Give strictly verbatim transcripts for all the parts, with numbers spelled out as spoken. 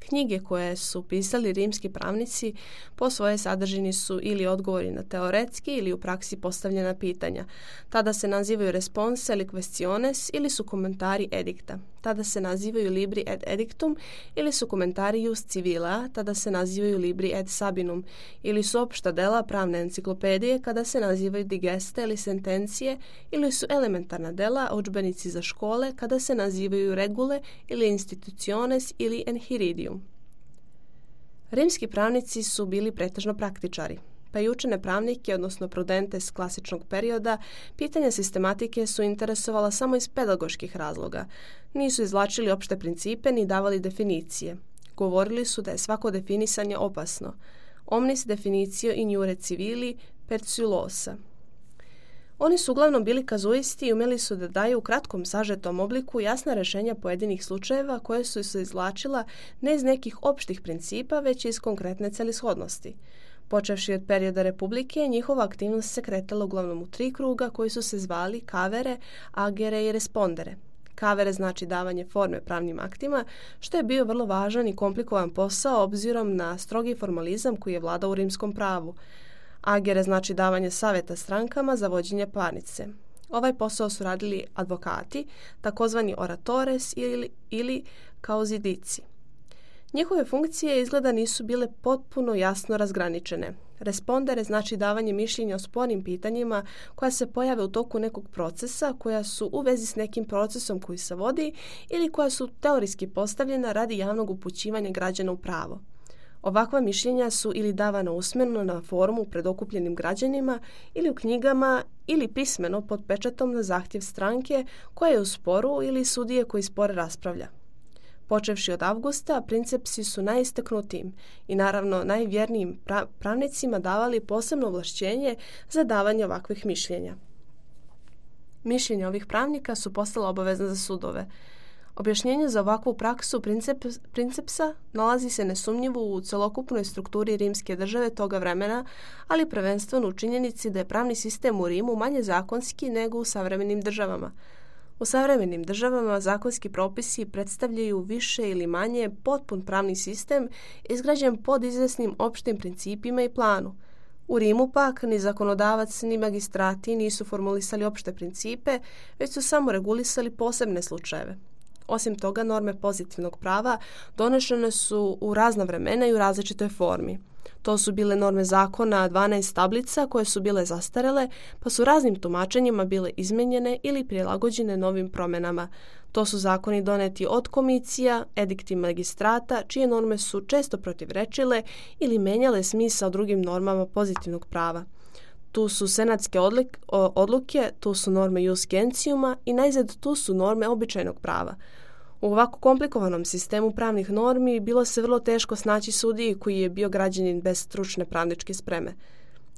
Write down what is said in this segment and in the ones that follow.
Knjige koje su pisali rimski pravnici po svojoj sadržini su ili odgovori na teoretski ili u praksi postavljena pitanja. Tada se nazivaju responsa ili questiones ili su komentari edikta. Tada se nazivaju libri ad edictum ili su komentari jus civila, tada se nazivaju libri ad sabinum, ili su opšta dela pravne enciklopedije kada se nazivaju digeste ili sentencije, ili su elementarna dela, udžbenici za škole kada se nazivaju regule ili instituciones ili enhiridium. Rimski pravnici su bili pretežno praktičari, pa i učene pravnike, odnosno prudentes klasičnog perioda, pitanja sistematike su interesovala samo iz pedagoških razloga. Nisu izvlačili opšte principe ni davali definicije. Govorili su da je svako definisanje opasno. Omnis definitio in iure civili perciulosa. Oni su uglavnom bili kazuisti i umjeli su da daju u kratkom sažetom obliku jasna rješenja pojedinih slučajeva koje su se izvlačila ne iz nekih opštih principa, već iz konkretne celishodnosti. Počevši od perioda Republike, njihova aktivnost se kretala uglavnom u tri kruga koji su se zvali kavere, agere i respondere. Kavere znači davanje forme pravnim aktima, što je bio vrlo važan i komplikovan posao obzirom na strogi formalizam koji je vladao u rimskom pravu. Agere znači davanje savjeta strankama za vođenje parnice. Ovaj posao su radili advokati, takozvani oratores ili, ili kauzidici. Njihove funkcije izgleda nisu bile potpuno jasno razgraničene. Respondere znači davanje mišljenja o spornim pitanjima koja se pojave u toku nekog procesa, koja su u vezi s nekim procesom koji se vodi ili koja su teorijski postavljena radi javnog upućivanja građana u pravo. Ovakva mišljenja su ili davana usmeno na forumu pred okupljenim građanima ili u knjigama ili pismeno pod pečatom na zahtjev stranke koja je u sporu ili sudije koji spor raspravlja. Počevši od avgusta, princepsi su najistaknutijim i naravno najvjernijim pra- pravnicima davali posebno ovlašćenje za davanje ovakvih mišljenja. Mišljenja ovih pravnika su postala obavezna za sudove. Objašnjenje za ovakvu praksu princep, princepsa nalazi se nesumnjivo u celokupnoj strukturi rimske države toga vremena, ali prvenstveno u činjenici da je pravni sistem u Rimu manje zakonski nego u savremenim državama. U savremenim državama zakonski propisi predstavljaju više ili manje potpun pravni sistem izgrađen pod izvesnim opštim principima i planu. U Rimu pak ni zakonodavac ni magistrati nisu formulisali opšte principe, već su samo regulisali posebne slučajeve. Osim toga, norme pozitivnog prava donešene su u razna vremena i u različitoj formi. To su bile norme zakona dvanaest tablica koje su bile zastarele, pa su raznim tumačenjima bile izmenjene ili prilagođene novim promjenama. To su zakoni doneti od komisija, edikti magistrata, čije norme su često protivrečile ili menjale smisao drugim normama pozitivnog prava. Tu su senatske odlik, odluke, tu su norme jus gentiuma i najzad tu su norme običajnog prava. U ovako komplikovanom sistemu pravnih normi bilo se vrlo teško snaći sudiji koji je bio građanin bez stručne pravničke spreme.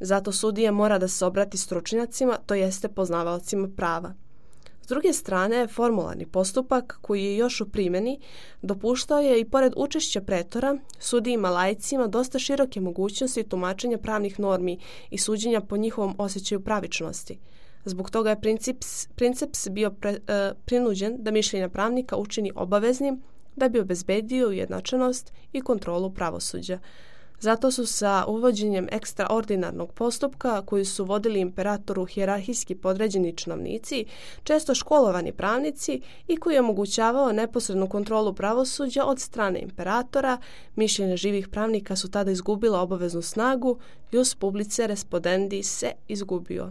Zato sudija mora da se obrati stručnjacima, to jeste poznavaocima prava. S druge strane, formularni postupak koji je još u primjeni dopuštao je i pored učešća pretora sudijima laicima dosta široke mogućnosti tumačenja pravnih normi i suđenja po njihovom osjećaju pravičnosti. Zbog toga je princeps, princeps bio pre, e, prinuđen da mišljenja pravnika učini obaveznim da bi obezbedio ujednačenost i kontrolu pravosuđa. Zato su sa uvođenjem ekstraordinarnog postupka koji su vodili imperatoru hijerarhijski podređeni činovnici, često školovani pravnici i koji je omogućavao neposrednu kontrolu pravosuđa od strane imperatora, mišljenja živih pravnika su tada izgubila obaveznu snagu, jus publice respondendi se izgubio.